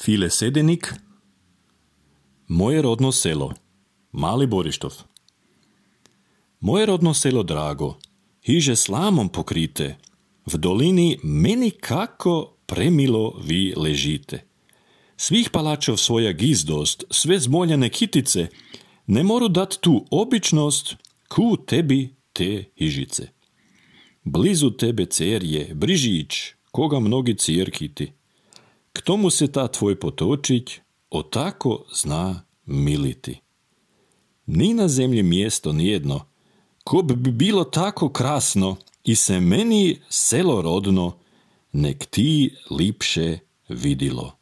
File Sedenik, Moje rodno selo, Mali Borištov. Moje rodno selo drago, hiže slamom pokrite, v dolini meni kako premilo vi ležite. Svih palačov svoja gizdost, sve zmoljane kitice, ne moru dat tu običnost, ku tebi te hižice. Blizu tebe cerje, Brižić, koga mnogi cirkiti. K tomu se ta tvoj potočić, o tako zna militi. Ni na zemlji mjesto nijedno, ko bi bilo tako krasno, i se meni selo rodno, nek ti lipše vidilo.